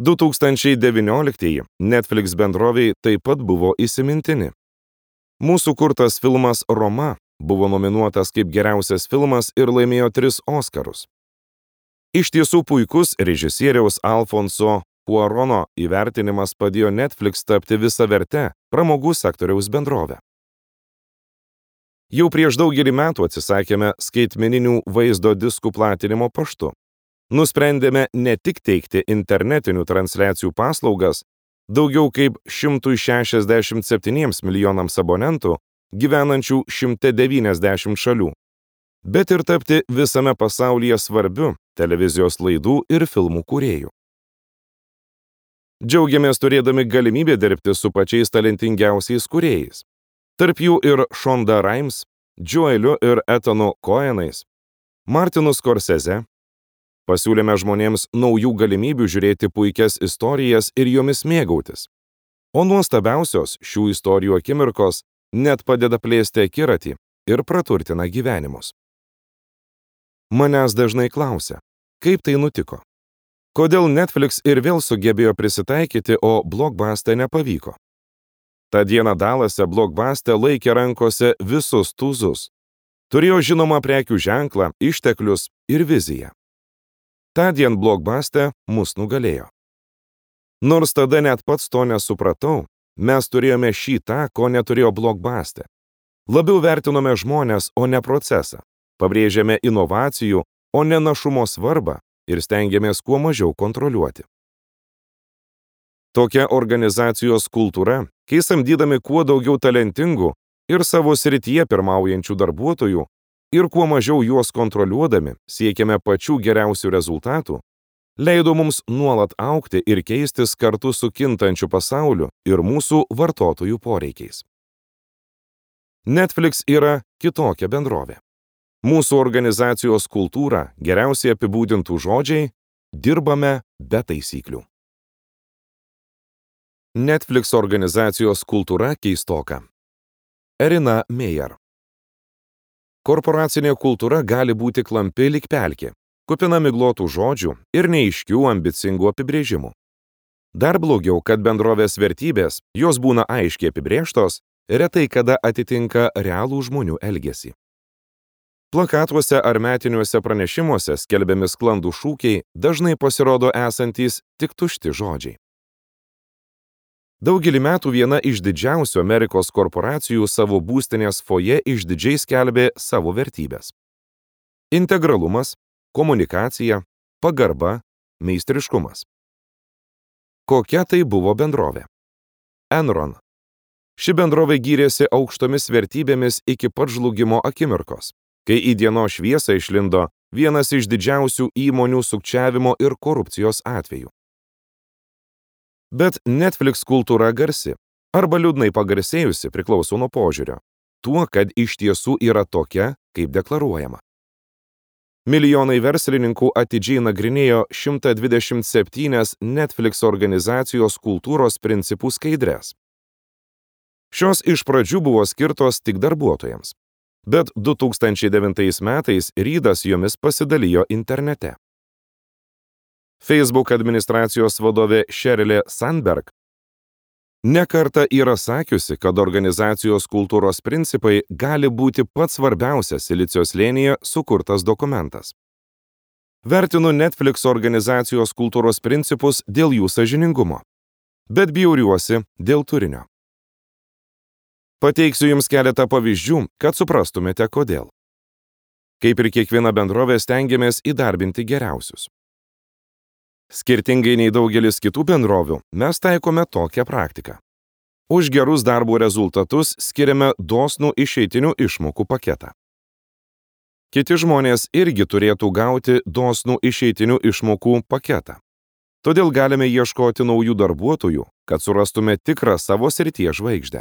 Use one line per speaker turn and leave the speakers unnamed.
2019 Netflix bendrovei taip pat buvo įsimintini. Mūsų kurtas filmas Roma buvo nominuotas kaip geriausias filmas ir laimėjo 3 Oskarus. Iš tiesų puikus režisieriaus Alfonso Cuarono įvertinimas padėjo Netflix tapti visaverte pramogų sektoriaus bendrovę. Jau prieš daugelį metų atsisakėme skaitmeninių vaizdo diskų platinimo paštu. Nusprendėme ne tik teikti internetinių transliacijų paslaugas daugiau kaip 167 milijonams abonentų gyvenančių 190 šalių, bet ir tapti visame pasaulyje svarbiu televizijos laidų ir filmų kūrėjų. Džiaugiamės turėdami galimybę dirbti su pačiais talentingiausiais kūrėjais. Tarp jų ir Shonda Rhimes, Joeliu ir Ethanu Cohenais, Martinu Scorsese. Pasiūlėme žmonėms naujų galimybių žiūrėti puikias istorijas ir jomis mėgautis. O nuostabiausios šių istorijų akimirkos net padeda plėsti akiratį ir praturtina gyvenimus. Manęs dažnai klausia, kaip tai nutiko? Kodėl Netflix ir vėl sugebėjo prisitaikyti, o Blockbuster nepavyko? Ta diena Dallase Blockbuster laikė rankose visus tūzus. Turėjo žinomą prekių ženklą, išteklius ir viziją. Tądien Blockbuster mus nugalėjo. Nors tada net pats to nesupratau, mes turėjome šį tą, ko neturėjo Blockbuster. Labiau vertinome žmones, o ne procesą. Pabrėžėme inovacijų, o ne našumo svarbą ir stengiamės kuo mažiau kontroliuoti. Tokia organizacijos kultūra, kai samdydami kuo daugiau talentingų ir savo srityje pirmaujančių darbuotojų, ir kuo mažiau juos kontroliuodami siekiame pačių geriausių rezultatų, leido mums nuolat augti ir keistis kartu su kintančiu pasauliu ir mūsų vartotojų poreikiais. Netflix yra kitokia bendrovė. Mūsų organizacijos kultūrą geriausiai apibūdintų žodžiai "dirbame be taisyklių". Netflix organizacijos kultūra keistoka. Erina Meyer. Korporacinė kultūra gali būti klampi lyg pelkė, kupina miglotų žodžių ir neaiškių ambicingų apibrėžimų. Dar blogiau, kad bendrovės vertybės, jos būna aiškiai apibrėžtos, retai kada atitinka realų žmonių elgesį. Plakatuose ar metiniuose pranešimuose skelbiami sklandų šūkiai dažnai pasirodo esantys tik tušti žodžiai. Daugelį metų viena iš didžiausių Amerikos korporacijų savo būstinės foje išdidžiai skelbė savo vertybės. Integralumas, komunikacija, pagarba, meistriškumas. Kokia tai buvo bendrovė? Enron. Ši bendrovė gyrėsi aukštomis vertybėmis iki pat žlugimo akimirkos, kai į dienos šviesą išlindo vienas iš didžiausių įmonių sukčiavimo ir korupcijos atvejų. Bet Netflix kultūra garsi, arba liūdnai pagarsėjusi priklauso nuo požiūrio, tuo, kad iš tiesų yra tokia, kaip deklaruojama. Milijonai verslininkų atidžiai nagrinėjo 127 Netflix organizacijos kultūros principų skaidres. Šios iš pradžių buvo skirtos tik darbuotojams, bet 2009 metais Reidas jomis pasidalijo internete. Facebook administracijos vadovė Sheryl Sandberg ne kartą yra sakiusi, kad organizacijos kultūros principai gali būti pats svarbiausias Silicio slėnyje sukurtas dokumentas. Vertinu Netflix organizacijos kultūros principus dėl jų sąžiningumo, bet bjauriuosi dėl turinio. Pateiksiu jums keletą pavyzdžių, kad suprastumėte kodėl. Kaip ir kiekviena bendrovė stengiamės įdarbinti geriausius. Skirtingai nei daugelis kitų bendrovių, mes taikome tokią praktiką. Už gerus darbo rezultatus skiriame dosnų išeitinių išmokų paketą. Kiti žmonės irgi turėtų gauti dosnų išeitinių išmokų paketą. Todėl galime ieškoti naujų darbuotojų, kad surastume tikrą savo srities žvaigždę.